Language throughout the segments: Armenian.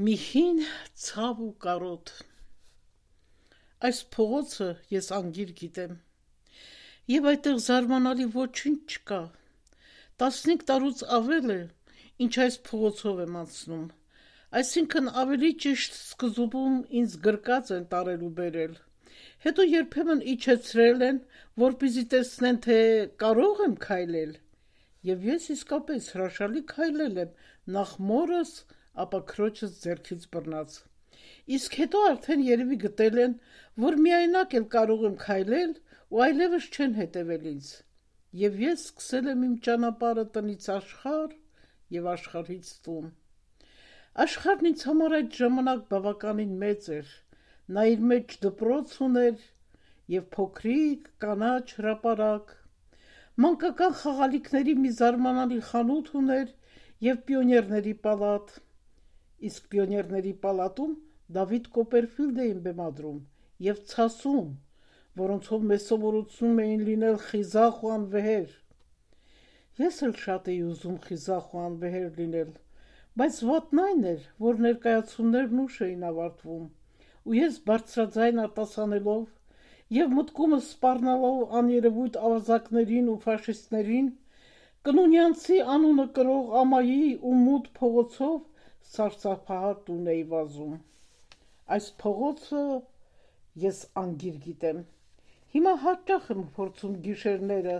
Մի հին ցավ ու կարոտ Այս փողոցը ես անգիր գիտեմ Եվ այդտեղ զարմանալի ոչինչ չկա 15 տարուց ավել է ինչ այս փողոցով եմ անցնում Այսինքն ավելի ճիշտ սկզբում ինձ գրկած են տարել ու բերել Հետո երբեմն իջեցրել են որպեսզի տեսնեն թե կարող եմ քայլել Եվ ես իսկապես հրաշալի քայլել եմ նախ մորս ապա քրոջս ձեռքից բռնած Իսկ հետո արդեն երևի գտել են որ միայնակ էլ կարող եմ քայլել ու այլևս չեն հետևել ինձ Եվ ես սկսել եմ իմ ճանապարհը տնից աշխարհ եւ աշխարհից տուն Աշխարհն ինձ համար այդ ժամանակ բավականին մեծ էր Նա իր մեջ դպրոց ուներ եւ փոքրիկ կանաչ հրապարակ Մանկական խաղալիքների մի զարմանալի խանութ ուներ եւ պիոներների պալատ Իսկ պիոներների պալատում Դավիթ Կոպերֆիլդ էին բեմադրում եւ ցասում, որոնցով մեզ սովորեցնում էին լինել խիզախ ու անվեհեր։ Ես էլ շատ էի ուզում խիզախ ու անվեհեր լինել, բայց վատն այն էր, որ ներկայացումներն ուշ էին ավարտվում, ու ես բարձրաձայն արտասանելով եւ մտքումս սպառնալով աներևույթ ավազակներին ու ֆաշիստներին, կնունյանցի անունը կրող ամայի ու մութ փողոցով սարսափահար տուն էի վազում։ Այս փողոցը ես անգիր գիտեմ։ Հիմա հաճախ եմ փորձում գիշերները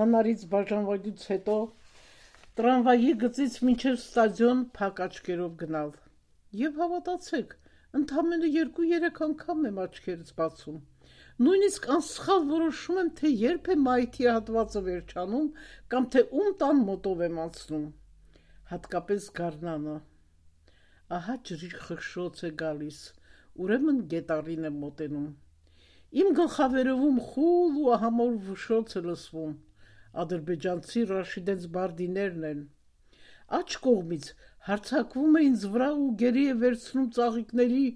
նանարից բաժանվելուց հետո տրամվայի գծից մինչև ստադիոն փակ աչքերով գնալ։ Եվ հավատացեք, ընդամենը 2-3 անգամ եմ աչքերս բացում։ Նույնիսկ անսխալ որոշում եմ, թե երբ է մայթի հատվածը վերջանում կամ թե ում տան մոտով եմ անցնում։ Հատկապես գարնանը։ Ահա ջրի խշշոց է գալիս, ուրեմն գետառին եմ մոտենում։ Իմ գլխավերևում խուլ ու ահամոր վշոց է լսվում, ադրբեջանցի Ռաշիդենց բարդիներն են։ Աջ կողմից հարձակվում է ինձ վրա ու գերի է վերցնում ծաղիկների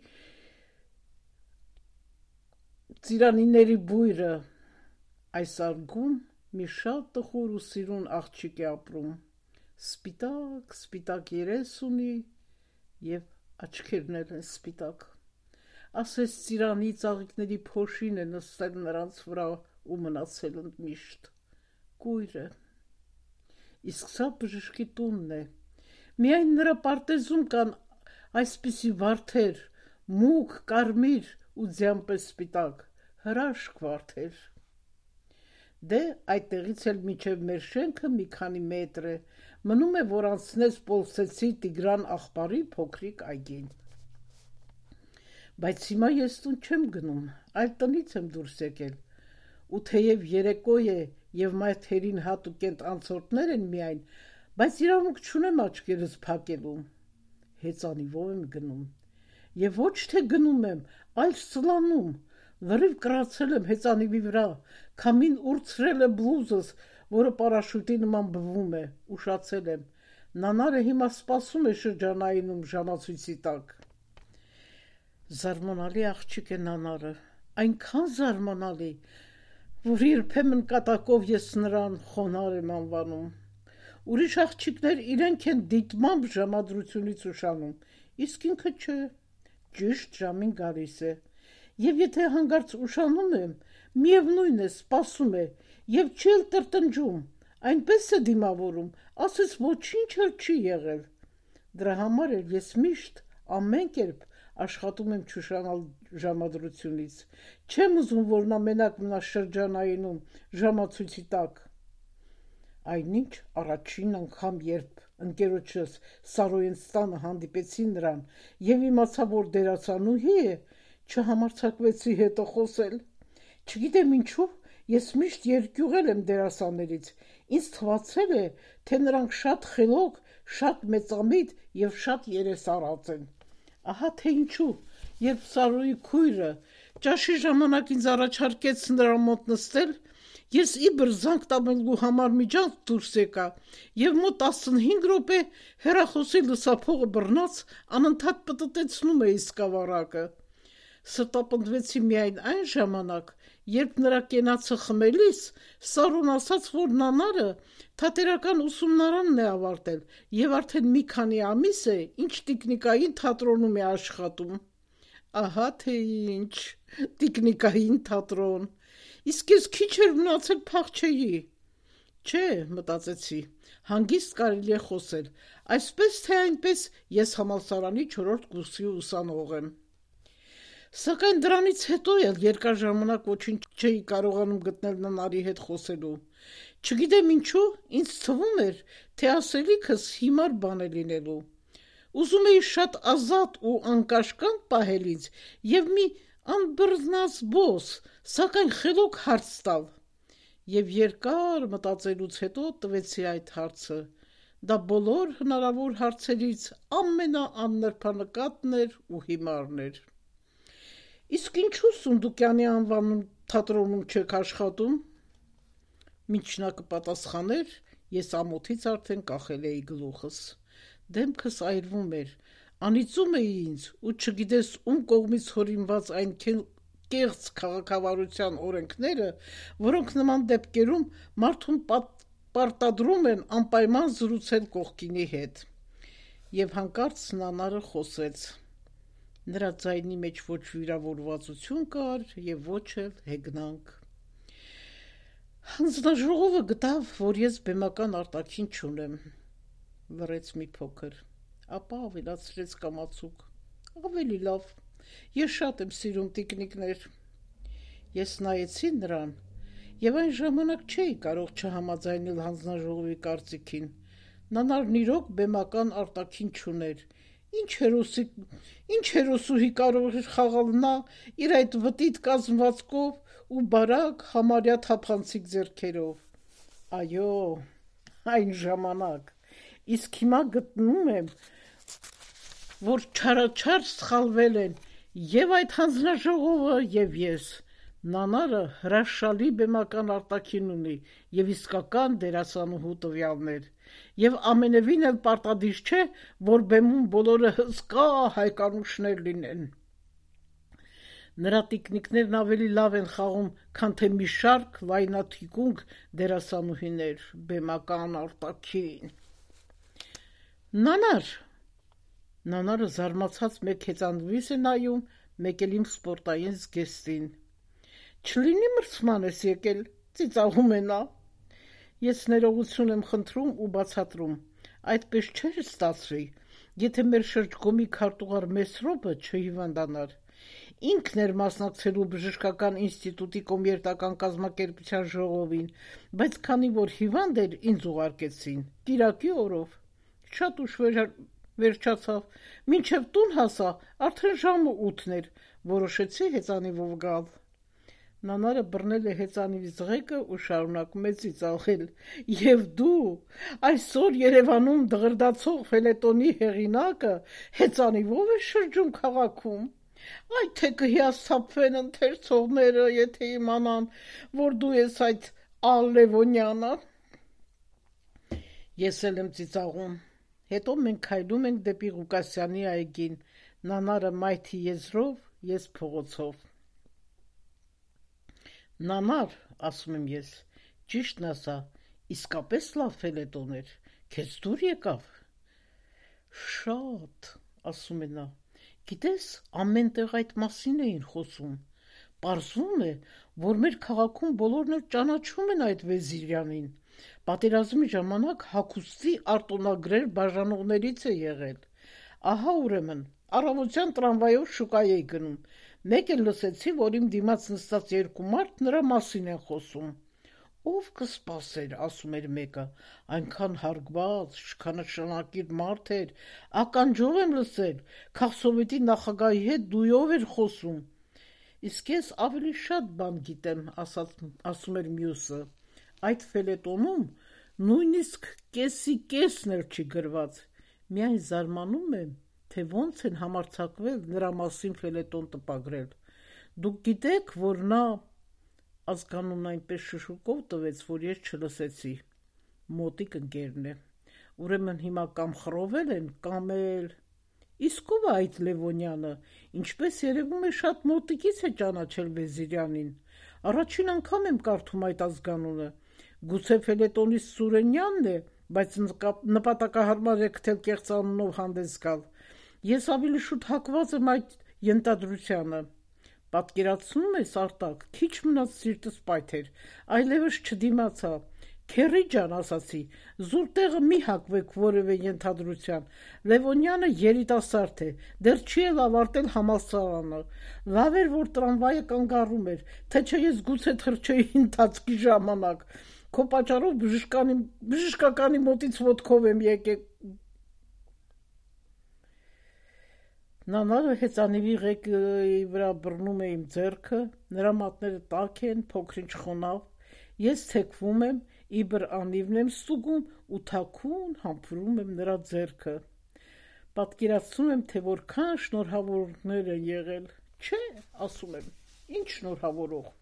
ծիրանիների բույրը։ Այս արգում մի շատ տխուր ու սիրուն աղջիկ է ապրում։ Սպիտակ երես ունի եւ աչքերն են սպիտակ։ Ասես ծիրանի ծաղիկների փոշին է նստել նրանց վրա ու մնացել ընդմիշտ։ Կույր է։ Իսկ սա բժշկի տունն է։ Միայն նրա պարտեզում կան այսպիսի վարդեր, մուգ, կարմիր ու ձյան պես սպիտակ, հրաշք վարդեր։ Դե այդտեղից էլ մինչև մեր շենքը մի քանի մետր է, մնում է, որ անցնես Պոլսեցի Տիգրան աղբարի փոքրիկ այգին։ Բայց հիմա ես տուն չեմ գնում, այլ տնից եմ դուրս եկել, ու թեև երեկո է եւ մայթերին հատուկենտ անցորդներ են միայն, բայց իրավունք չունեմ աչքերս փակելու։ Հեծանիվով եմ գնում։ Եվ ոչ թե գնում եմ, այլ սլանում, լրիվ կրացել եմ հեծանիվի վրա, քամին ուրցրել է բլուզս, որը պարաշուտի նման բվում է, ուշացել եմ։ Նանարը հիմա սպասում է շրջանայինում ժամացույցի տակ։ Զարմանալի աղջիկ է Նանարը, այնքան զարմանալի, որ երբեմն կատակով ես նրան խոնար եմ անվանում։ Ուրիշ աղջիկներ իրենք են դիտմամբ ժամադրությունից ուշանում, իսկ ինքը չէ, ճիշտ ժամին գալիս է։ Եվ եթե հանկարծ ուշանում եմ, միևնույն է, սպասում է, եւ չի էլ տրտնջում, այնպես է դիմավորում, ասես ոչինչ էլ չի եղել։ Դրա համար էլ ես միշտ ամեն կերպ աշխատում եմ չուշանալ ժամադրությունից։ Չեմ ուզում, որ նա մենակ մնա շրջանայինում ժամացույցի տակ։ Այնինչ առաջին անգամ, երբ ընկերոջս Սարոյենստանը հանդիպեցի նրան եւ իմացա, որ դերասանուհի է, չհամարձակվեցի հետը խոսել։ Չգիտեմ ինչու, ես միշտ երկյուղել եմ դերասաններից։ Ինձ թվացել է, թե նրանք շատ խելոք, շատ մեծամիտ եւ շատ երեսարած են։ Ահա թե ինչու, երբ Սարոյի քույրը ճաշի ժամանակ ինձ առաջարկեց նրա մոտ նստել, ես իբր զանգ տանելու համար միջանց դուրս եկա եւ մոտ 15 րոպե հեռախոսի լսափողը բռնած անընդհատ պտտեցնում էի սկավառակը։ Ստապնդվեցի միայն այն ժամանակ, երբ նրա կենացը խմելիս Սարուն ասաց, որ նանարը թատերական ուսումնարանն է ավարտել և արդեն մի քանի ամիս է, ինչ տիկնիկային թատրոնում է աշխատում։ Ահա թե ինչ, տիկնիկային թատրոն, իսկ ես քիչ էր մնացել փախչեի։ Չէ, մտածեցի, հանգիստ կարելի է խոսել, այսպես թե այնպես ես համալսարանի 4-րդ կուրսի ուսանող եմ։ Սակայն դրանից հետո էլ երկար ժամանակ ոչինչ չէի կարողանում գտնել ննարի հետ խոսելու։ Չգիտեմ ինչու, ինձ թվում էր, թե ասելիքս հիմար բան է լինելու։ Ուզում էի շատ ազատ ու անկաշկանդ պահել ինձ և մի անբռնազբոս, սակայն խելոք հարց տալ։ Եվ երկար մտածելուց հետո տվեցի այդ հարցը։ Դա բոլոր հնարավոր հարցերից ամենաաննրբանկատն էր ու հիմարն էր։ Իսկ ինչու Սունդուկյանի անվան թատրոնում չեք աշխատում։ Մինչ նա կպատասխաներ, ես ամոթից արդեն կախել էի գլուխս։ Դեմքս այրվում էր, անիծում էի ինձ ու չգիտես ում կողմից հորինված այն կեղծ քաղաքավարության օրենքները, որոնք նման դեպքերում մարդուն պարտադրում են անպայման զրուցել կողքինի հետ։ Եվ հանկարծ նանարը խոսեց։ Նրա ձայնի մեջ ոչ վիրավորվածություն կար և ոչ էլ հեգնանք։ Հանձնաժողովը գտավ, որ ես բեմական արտաքին չունեմ։ Լռեց մի փոքր, ապա ավելացրեց կամացուկ. ավելի լավ, ես շատ եմ սիրում տիկնիկներ։ Ես նայեցի նրան և այն ժամանակ չէի կարող չհամաձայնել հանձնաժողովի կարծիքին։ Նանարն իրոք բեմական արտաքին չուներ։ Ինչ հերոսուհի կարող էր խաղալ նա իր այդ վտիտ կազմվածքով ու բարակ համարյա թափանցիկ ձեռքերով։ Այո, այն ժամանակ, իսկ հիմա գտնում եմ, որ չարաչար սխալվել են և այդ հանձնաժողովը և ես։ Նանարը հրաշալի բեմական արտաքին ունի և իսկական դերասանուհու տվյալներ, և ամենևին էլ պարտադիր չէ, որ բեմում բոլորը հսկա հայկանուշներ լինեն։ Նրա տիկնիկներն ավելի լավ են խաղում, քան թե մի շարք լայնաթիկունք դերասանուհիներ բեմական արտաքին։ Նանար։ Նանարը զարմացած մեկ հեծանվիս է նայում, մեկ էլ իմ սպորտային զգեստին։ Չլինի մրցման ես եկել, ծիծաղում է նա։ Ես ներողություն եմ խնդրում ու բացատրում, այդպես չէր ստացվի, եթե մեր շրջգոմի քարտուղար Մեսրոպը չհիվանդանար։ Ինքն էր մասնակցելու բժշկական ինստիտուտի կոմերտական կազմակերպության ժողովին, բայց քանի որ հիվանդ էր, ինձ ուղարկեցին, կիրակի օրով։ Շատ ուշ վերջացավ, մինչև տուն հասա, արդեն ժամը 8 էր, որոշեցի հեծանիվով գալ։ Նանարը բռնել է հեծանիվի զղեկը ու շարունակում է ծիծաղել։ Եվ դու, այսօր Երևանում դղրդացող ֆելետոնի հեղինակը, հեծանիվով ես շրջում քաղաքում։ Այ թե կհիասթափվեն ընթերցողները, եթե իմանան, որ դու ես այդ Ալ-Լևոնյանը։ Ես էլ եմ ծիծաղում։ Հետո մենք քայլում ենք դեպի Ղուկասյանի այգին, նանարը մայթի եզրով, ես փողոցով։ Նանար, ասում եմ ես, ճիշտն ասա, իսկապես լավ ֆելետոն էր, քեզ դուր եկավ։ Շատ, ասում է նա, գիտես, ամեն տեղ այդ մասին էին խոսում։ Պարզվում է, որ մեր քաղաքում բոլորն էլ ճանաչում են այդ Վեզիրյանին։ Պատերազմի ժամանակ հագուստի արտոնագրեր բաժանողներից է եղել։ Ահա ուրեմն, առավոտյան տրամվայով շուկա էի գնում։ Մեկ էլ լսեցի, որ իմ դիմաց նստած երկու մարդ նրա մասին են խոսում։ Ով կսպասեր, ասում էր մեկը, այնքան հարգված, շքանշանակիր մարդ էր, ականջով եմ լսել, քաղսովետի նախագահի հետ դույով էր խոսում։ Իսկ ես ավելի շատ բան գիտեմ, ասում էր մյուսը։ Այդ ֆելետոնում նույնիսկ կեսի կեսն էլ չի գրված։ Միայն զարմանում եմ, թե ոնց են համարձակվել նրա մասին ֆելետոն տպագրել։ Դուք գիտեք, որ նա… Ազգանունն այնպես շշուկով տվեց, որ ես չլսեցի։ Մոտիկ ընկերն է։ Ուրեմն հիմա կամ խռովել են, կամ էլ… Իսկ ով է այդ Լևոնյանը, ինչպես երևում է շատ մոտիկից է ճանաչել Վեզիրյանին, առաջին անգամ եմ կարդում այդ ազգանունը, գուցե Ֆելետոնիստ Սուրենյանն է, բայց նպատակահարմար է գտել կեղծ անունով հանդես գալ, ես ավելի շուտ հակված եմ այդ ենթադրությանը, պատկերացնում ես Արտակ, քիչ մնաց սիրտս պայթեր, այլևս չդիմացա, Քերի ջան, ասացի, զուր տեղը մի հակվեք որևէ ենթադրության, Լևոնյանը երիտասարդ է, դեռ չի էլ ավարտել համալսարանը, լավ էր, որ տրամվայը կանգառում էր, թե չէ ես գուցե թռչեի ընթացքի ժամանակ, քո պատճառով բժշկականի մոտից ոտքով եմ եկել։ Նանարը հեծանիվի ղեկի վրա բռնում է իմ ձեռքը, նրա մատները տաք են, փոքրինչ խոնավ, ես թեքվում եմ, իբր անիվն եմ ստուգում ու թաքուն համբուրում եմ նրա ձեռքը։ Պատկերացնում եմ, թե որքան շնորհավորներ են եղել, չէ, ասում եմ, ինչ շնորհավորող։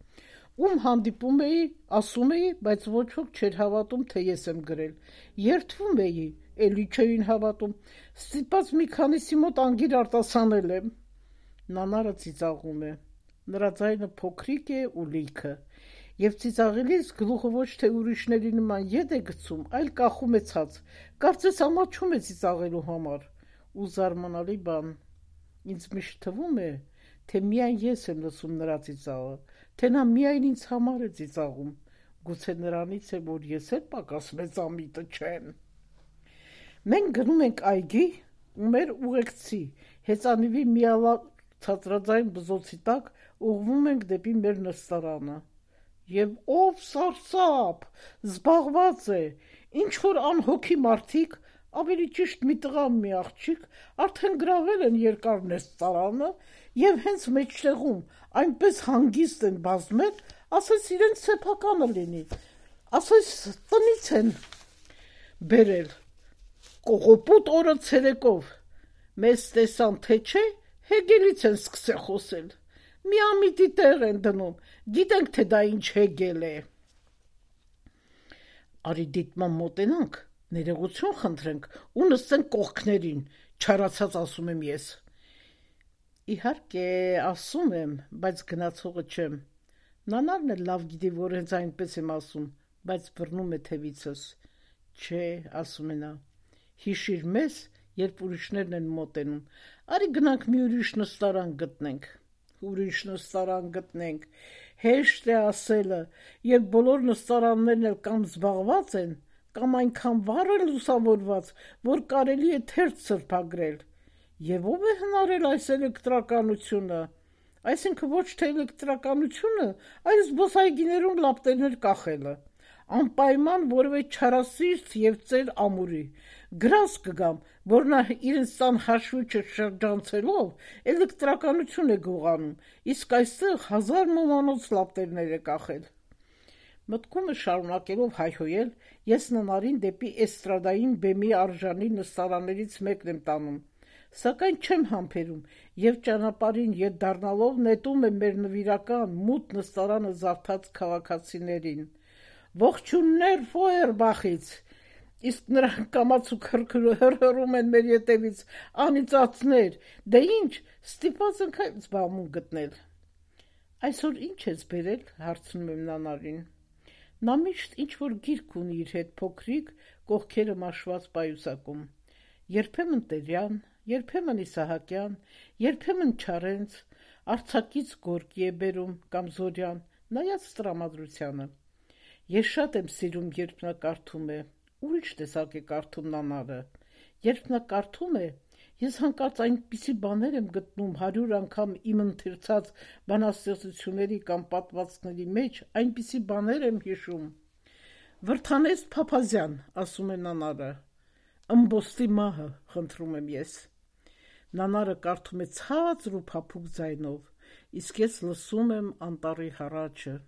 Ում հանդիպում էի, ասում էի, բայց ոչ ոք չէր հավատում, թե ես եմ գրել։ Երդվում էի, էլի չէին հավատում։ Ստիպված մի քանիսի մոտ անգիր արտասանել եմ։ Նանարը ծիծաղում է։ Նրա ձայնը փոքրիկ է ու լիքը։ Եվ ծիծաղելիս գլուխը ոչ թե ուրիշների նման ետ է գցում, այլ կախում է ցած։ Կարծես ամաչում է ծիծաղելու համար։ Ու զարմանալի բան։ Ինձ միշտ թվում է, թե միայն ես եմ լսում նրա ծիծաղը, թե նա միայն ինձ համար է ծիծաղում, գուցե նրանից է, որ ես էլ պակաս մեծամիտը չեմ։ Մենք գնում ենք այգի ու մեր ուղեկցի, հեծանիվի միալավ ցածրաձայն բզոցի տակ ուղղվում ենք դեպի մեր նստարանը։ Եվ ով սարսափ, զբաղված է, ինչ-որ անհոգի մարդիկ, ավելի ճիշտ մի տղա մի աղջիկ, արդեն գրավել են երկար նստարանը և հենց մեջտեղում այնպես հանգիստ են բազմել, ասես իրենց սեփականը լինի, ասես տնից են բերել, կողոպուտ օրը ցերեկով, մեզ տեսան թե չէ, Հեգելից են սկսել խոսել, միամիտի տեղ են դնում, գիտենք, թե դա ինչ Հեգել է։ Արի դիտման մոտենանք, ներողություն խնդրենք ու նստենք կողքներին, չարացած ասում եմ ես։ Իհարկե, ասում եմ, բայց գնացողը չեմ։ Նանարն էլ լավ գիտի, որ հենց այնպես եմ ասում, բայց բռնում է թևիցս։ Չէ, ասում է նա, հիշիր մեզ, երբ ուրիշներն են մոտենում, արի գնանք մի ուրիշ նստարան գտնենք։ Ուրիշ նստարան գտնենք, հեշտ է ասելը, երբ բոլոր նստարաններն էլ կամ զբաղված են, կամ այնքան վառ են լուսավորված, որ կարելի է թերթ սրբագրել։ Եվ ով է հնարել այս էլեկտրականությունը, այսինքն ոչ թե էլեկտրականությունը, այլ զբոսայգիներում լապտերներ կախելը, անպայման որևէ չարասիրտ և ծեր ամուրի, գրազ կգամ, որ նա իրենց տան հաշվիչը շրջանցելով էլեկտրականություն է գողանում, իսկ այստեղ 1000 մոմանոց լապտերներ է կախել։ Մտքումը շարունակելով հայհոյել, ես Նանարին դեպի էստրադային բեմի արժանի նստարաններից մեկն եմ տանում, սակայն չեմ համբերում և ճանապարհին ետ դառնալով նետում եմ մեր նվիրական մութ նստարանը զարթած քաղաքացիներին։ Ողջույններ Ֆոյերբախից, իսկ նրանք կամացուկ հռհռում են մեր ետևից, անիծածներ, դե ինչ, ստիպված ենք այդ զբաղմունք գտնել։ Այսօր ինչ ես բերել, հարցնում եմ Նանարին։ Նա միշտ ինչ-որ գիրք ունի իր հետ փոքրիկ, կողքերը մաշված պայուսակում, երբեմն Տերյան, երբեմն Իսահակյան, երբեմն Չարենց, արձակից Գորկի է բերում կամ Զորյան, նայած տրամադրությանը։ Ես շատ եմ սիրում, երբ նա կարդում է, ուրիշ տեսակ է կարդում Նանարը։ Երբ նա կարդում է, ես հանկարծ այնպիսի բաներ եմ գտնում 100 անգամ իմ ընթերցած բանաստեղծությունների կամ պատմվածքների մեջ, այնպիսի բաներ եմ հիշում։ Վրդանեստ Փափազյան, ասում է Նանարը, ըմբոստի մահը, խնդրում եմ ես։ Նանարը կարդում է ցածր ու փափուկ ձայնով, իսկ ես լսում եմ անտառի հառաչը։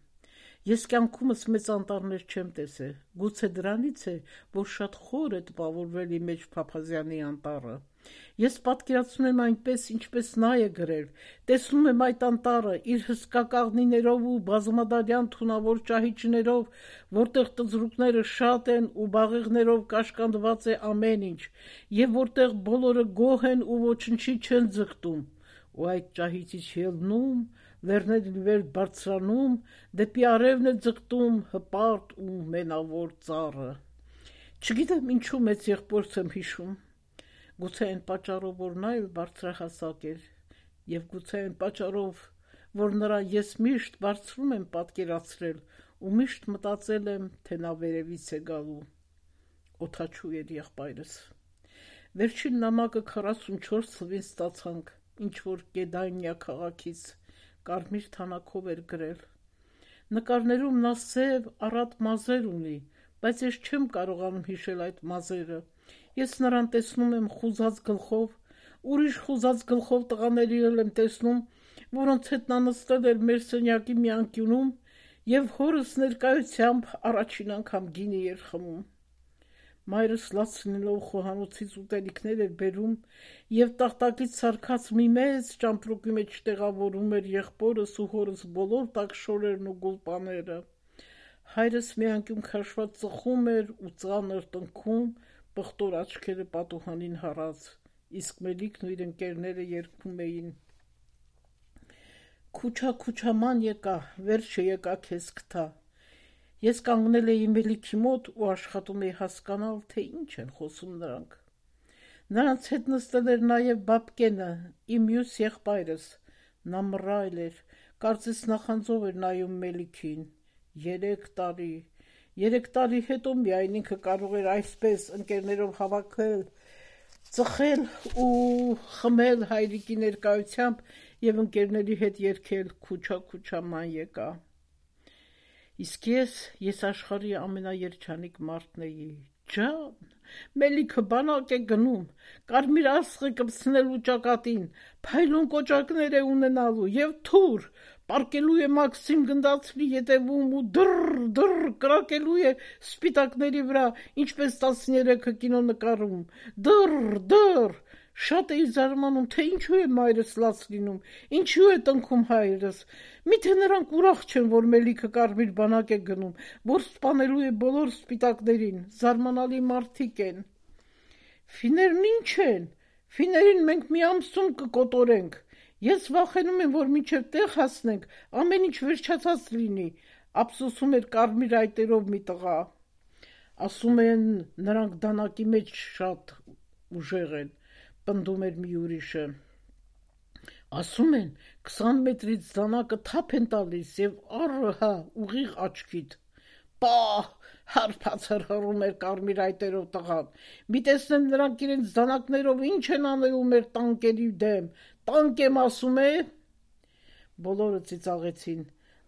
Ես կյանքումս մեծ անտառներ չեմ տեսել, գուցե դրանից է, որ շատ խոր է տպավորվել իմ մեջ Փափազյանի անտառը։ Ես պատկերացնում եմ այնպես, ինչպես նա է գրել, տեսնում եմ այդ անտառը իր հսկա կաղնիներով ու բազմադարյան թունավոր ճահիճներով, որտեղ տզրուկները շատ են ու բաղեղներով կաշկանդված է ամեն ինչ, եւ որտեղ բոլորը գոհ են ու ոչնչի չեն ձգտում, ու այդ ճահիճից ելնում, լեռների վեր բարձրանում, դեպի արևն է ձգտում հպարտ ու մենավոր ծառը։ Չգիտեմ ինչու մեծ եղբորս եմ հիշում, գուցե այն պատճառով, որ նա էլ բարձրահասակ էր, եւ գուցե այն պատճառով, որ նրան ես միշտ բարձրում եմ պատկերացրել ու միշտ մտածել եմ, թե նա վերևից է գալու։ Օդաչու էր եղբայրս։ Վերջին նամակը 44 թվին ստացանք, ինչ որ Գեդանիա քաղաքից, կարմիր թանաքով էր գրել։ Նկարներում նա սև, առատ մազեր ունի, բայց ես չեմ կարողանում հիշել այդ մազերը։ Ես նրան տեսնում եմ խուզած գլխով, ուրիշ խուզած գլխով տղաների եմ տեսնում, որոնց հետ նա նստել էր մեր սենյակի մի անկյունում եւ հորս ներկայությամբ առաջին անգամ գինի էր խմում։ Մայրս լաց լինելով խոհանոցից ուտելիքներ էր բերում եւ տախտակից սարքած մի մեծ ճամպրուկի մեջ տեղավորում էր եղբորս ու հորս բոլոր տաքշորերն ու գուլպաները։ Հայրս մի անկյուն քաշված ծխում էր ու ծանր տնքում, պղտոր աչքերը պատուհանին հառած, իսկ Մելիքն ու իր ընկերները երգում էին. Քուչա քուչաման եկա, վերջը եկա քեզ կթա։ Ես կանգնել էի Մելիքի մոտ ու աշխատում էի հասկանալ, թե ինչ են խոսում նրանք։ Նրանց հետ նստել էր նաև Բաբկենը, իմ մյուս եղբայրս, նա մռայլ էր, կարծես նախանձով էր նայում Մելիքին։ 3 տարի հետո միայն ինքը կարող էր այսպես ընկերներով հավաքվել, ծխել ու խմել հայրիկի ներկայությամբ եւ ընկերների հետ երգել քուչա քուչա ման եկա։ Իսկ ես աշխարհի ամենաերջանիկ մարդն էի։ Ջան, Մելիքը բանակ է գնում, կարմիր աստղ է կպցնելու ճակատին, փայլուն կոճակներ է ունենալու եւ թուր, պարկելու է Մաքսիմ Գնդացրի ետևում ու դռ կրակելու է սպիտակների վրա, ինչպես 13-ը կինո նկարում։ Դռ շատ էի զարմանում, թե ինչու է մայրս լաց լինում, ինչու է տնքում հայրս։ Միթե նրանք ուրախ չեն, որ Մելիքը կարմիր բանակ է գնում, որ սպանելու է բոլոր սպիտակներին, զարմանալի մարդիկ են։ Ֆիներն ինչ են։ Ֆիներին մենք մի ամսում կկոտորենք։ Ես վախենում եմ, որ մինչև տեղ հասնենք, ամեն ինչ վերջացած լինի, ափսոսում էր կարմիր այտերով մի տղա։ Ասում են, նրանք դանակի մեջ շատ ուժեղ են, պնդում էր մի ուրիշը։ Ասում են, 20 մետրից դանակը թափ են տալիս եւ առհա ուղիղ աչքիդ։ Պահ, հարբացր հռում էր կարմիր այտերով տղան։ Մի տեսնեմ նրանք իրենց դանակներով ինչ են անելու մեր տանկերի դեմ։ Տանկ եմ ասում է։ Բոլորը ծիծաղեցին։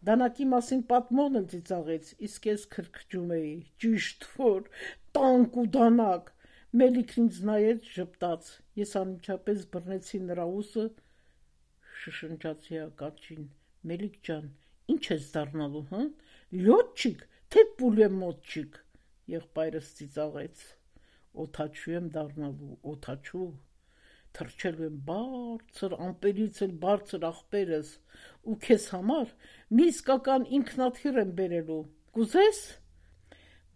Դանակի մասին պատմողն էլ ծիծաղեց, իսկ ես քրքջում էի։ Ճիշտ որ տանկ ու դանակ։ Մելիքն ինձ նայեց ժպտաց։ Ես անմիջապես բռնեցի նրա ուսը, շշնջացի հակաչին. Մելիք ջան, ինչ ես դառնալու, հա? Լյոտչիկ, թե պուլեմոտչիկ։ Եղբայրս ծիծաղեց. Օդաչու եմ դառնալու, օդաչու։ Թռչելու եմ բարձր, ամպերից էլ բարձր աղբերս ու քեզ համար մի իսկական ինքնաթիռ եմ բերելու։ Կուզես։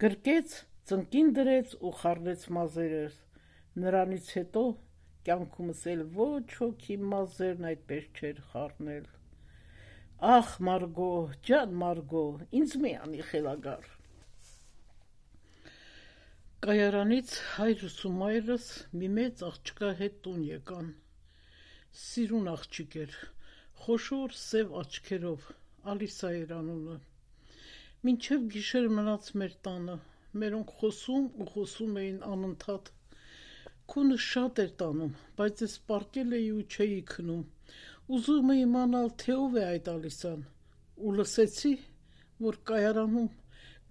Գրկեց, ծնկին դրեց ու խառնեց մազերս։ Նրանից հետո կյանքումս էլ ոչ ոքի մազերն այդպես չէր խառնել։ Ախ Մարգո, ջան Մարգո, ինձ մի անի խելագար։ Կայարանից հայրս ու մայրս մի մեծ աղջկա հետ տուն եկան։ Սիրուն աղջիկ էր, խոշոր սև աչքերով, Ալիսա էր անունը։ Մինչև գիշեր մնաց մեր տանը, մերոնք խոսում էին անընդհատ։ Քունը շատ էր տանում, բայց ես պառկել էի ու չէի քնում։ Ուզում էի իմանալ, թե ով է այդ Ալիսան, ու լսեցի, որ կայարանում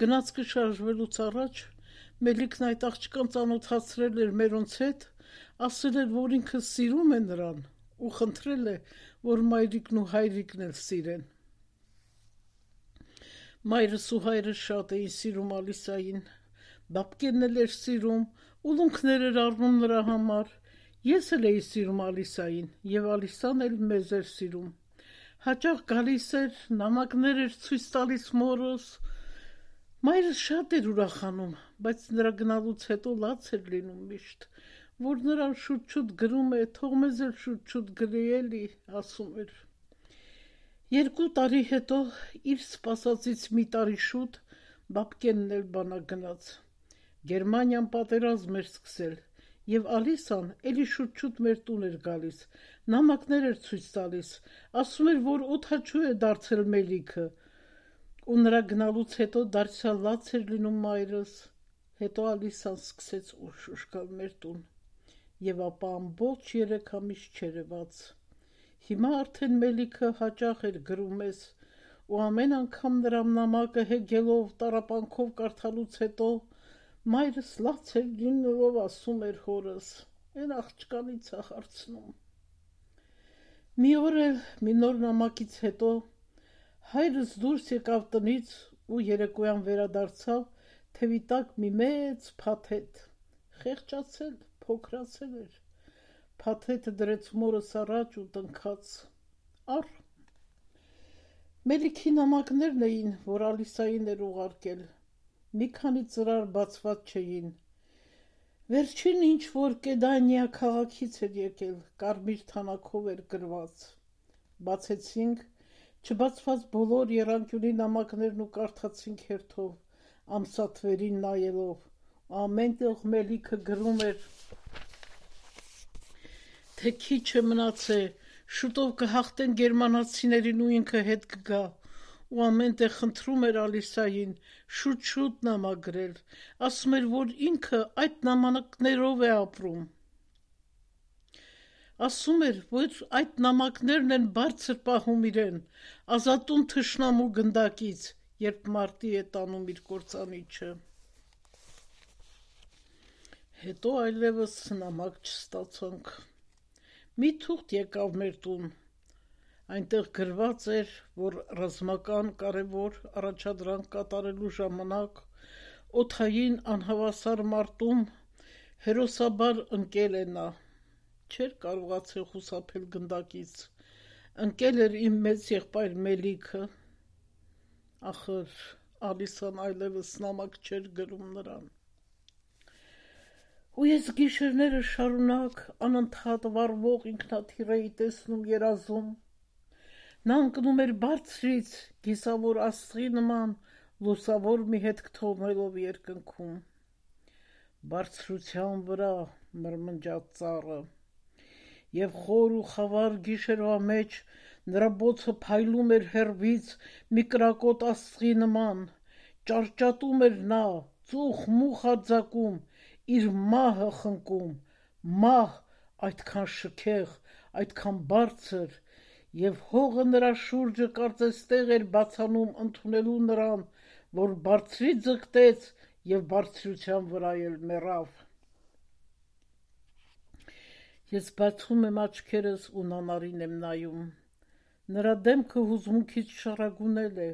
գնացքը շարժվելուց առաջ Մելիքն այդ աղջկան ծանոթացրել էր մերոնց հետ, ասել էր, որ ինքը սիրում է նրան ու խնդրել է, որ մայրիկն ու հայրիկն էլ սիրեն։ Մայրս ու հայրս շատ էին սիրում Ալիսային, բաբկենն էլ էր սիրում, ուլունքներ էր առնում նրա համար, ես էլ էի սիրում Ալիսային, և Ալիսան էլ մեզ էր սիրում, հաճախ գալիս էր, նամակներ էր ցույց տալիս մորս, մայրս շատ էր ուրախանում, բայց նրա գնալուց հետո լաց էր լինում միշտ, որ նրան շուտ-շուտ գրում է, թող մեզ էլ շուտ-շուտ գրի էլի, ասում էր։ 2 տարի հետո իր սպասածից մի տարի շուտ բաբկենն էլ բանակ գնաց։ Գերմանիան պատերազմ էր սկսել, և Ալիսան էլի շուտ-շուտ մեր տուն էր գալիս, նամակներ էր ցույց տալիս, ասում էր, որ օդաչու է դարձել Մելիքը, ու նրա գնալուց հետո դարձյալ լաց էր լինում մայրս, հետո Ալիսան սկսեց ուշ գալ մեր տուն, և ապա ամբողջ 3 ամիս չերևաց։ Հիմա արդեն Մելիքը հաճախ էր գրում ես, ու ամեն անգամ նրա նամակը հեգելով, տառապանքով կարդալուց հետո մայրս լաց էր լինելով ասում էր հորս, «Էն աղջկանից է հարցնում»։ Մի օր էլ մի նոր նամակից հետո հայրս դուրս եկավ տնից ու երեկոյան վերադարձավ, թևի տակ մի մեծ փաթեթ, խեղճացել, փոքրացել էր, փաթեթը դրեց մորս առաջ ու տնքաց, առ։ Մելիքի նամակներն էին, որ Ալիսային էր ուղարկել, մի քանի ծրար բացված չէին, վերջին ինչ-որ Կեդանիա քաղաքից էր եկել, կարմիր թանաքով էր գրված, բացեցինք, չբացված բոլոր եռանկյունի նամակներն ու կարդացինք հերթով, ամսաթվերին նայելով, ամենտեղ Մելիքը գրում էր, թե քիչ է մնացե, շուտով կհաղթեն գերմանացիներին ու ինքը հետ կգա, ու ամենտեղ խնդրում էր Ալիսային շուտ-շուտ նամակ գրել, ասում էր, որ ինքը այդ նամակներով է ապրում։ Ասում էր, որ այդ նամակներն են բարձր պահում իրեն, ազատում թշնամու գնդակից, երբ մարտի է տանում իր կործանիչը։ Հետո այլևս նամակ չստացանք։ Մի թուղթ եկավ մեր տուն, այնտեղ գրված էր, որ ռազմական կարևոր առաջադրանք կատարելու ժամանակ օդային անհավասար մարտում հերոսաբար ընկել է նա, չէր կարողացել խուսափել գնդակից, ընկել էր իմ մեծ եղբայր Մելիքը, ախր Ալիսան այլևս նամակ չէր գրում նրան։ Ու ես գիշերները շարունակ անընդհատ վառվող ինքնաթիռ էի տեսնում երազում, նա ընկնում էր բարձրից, գիսավոր աստղի նման, լուսավոր մի հետք թողնելով երկնքում։ Բարձրության վրա մրմնջաց ծառը, և խոր ու խավար գիշերվա մեջ նրա բոցը փայլում էր հեռվից մի կրակոտ աստղի նման, ճարճատում էր նա, ծուխ-մուխ արձակում, իր մահը խնկում, մահ այդքան շքեղ, այդքան բարձր, և հողը նրա շուրջը կարծես տեղ էր բացանում ընդունելու նրան, որ բարձրից ձգտեց և բարձրության վրա էլ մեռավ։ Ես բացում եմ աչքերս ու Նանարին եմ նայում, նրա դեմքը հուզմունքից շառագունել է,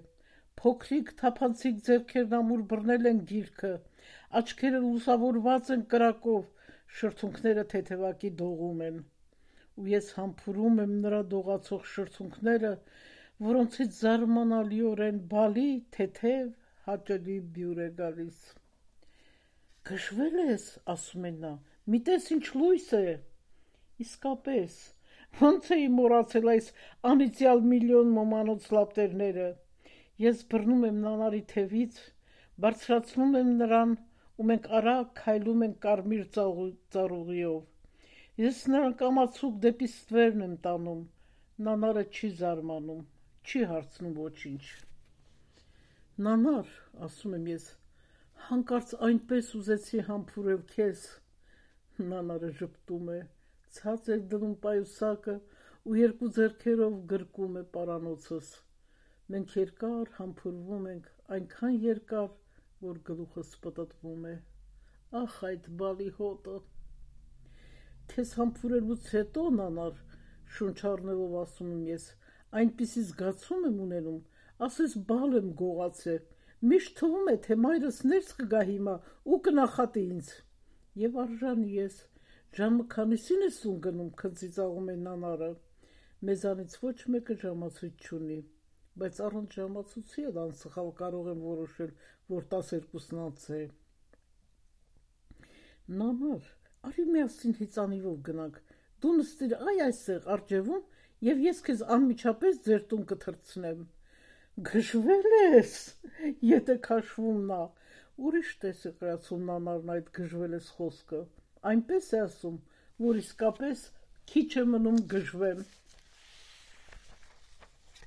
փոքրիկ թափանցիկ ձեռքերն ամուր բռնել են գիրքը, աչքերը լուսավորված են կրակով, շրթունքները թեթևակի դողում են, ու ես համբուրում եմ նրա դողացող շրթունքները, որոնցից զարմանալիորեն բալի, թեթև, հաճելի բյուր է գալիս։ Գժվել ես, ասում է նա, մի տես ինչ լույս է, իսկապես, ոնց էի մոռացել այս անիծյալ միլիոն ոմանոց լապտերները, ես բռնում եմ Նանարի թևից, բարձրացնում եմ նրան ու մենք արագ քայլում ենք կարմիր ծառուղիով, ես նրան կամացուկ դեպի ստվերն եմ տանում, Նանարը չի զարմանում, չի հարցնում ոչինչ։ Նանար, ասում եմ ես, հանկարծ այնպես ուզեցի համբուրել քեզ, Նանարը ժպտում է, ցած է դնում պայուսակը ու 2 ձեռքերով գրկում է պարանոցս, մենք երկար համբուրվում ենք, այնքան երկար, որ գլուխս պտտվում է, ախ այդ բալի հոտը։ Քեզ համբուրելուց հետո, Նանար, շունչ առնելով ասում եմ ես, այնպիսի զգացում եմ ունենում, ասես բալ եմ գողացել, միշտ թվում է, թե մայրս ներս կգա հիմա ու կնախատի ինձ։ Եվ արժանի ես, ժամը քանիսին ես ուն գնում, քնծիծաղում է նանարը։ Մեզանից ոչ մեկը ժամացույց չունի, բայց առանց ժամացույցի էլ անսխալ կարող եմ որոշել, որ 12-ն անց է։ Նանար, արի միասին հիծանիվով գնանք, դու նստիր այստեղ արջևում և ես քեզ անմիջապես ձեր տուն կթռցնեմ։ Գժվել ես, եթե քաշվում նա, ուրիշ տես է կրացում նանարն այդ գժվել ես խոսքը, այնպես է ասում, որ իսկապես քիչ է մնում գժվեմ։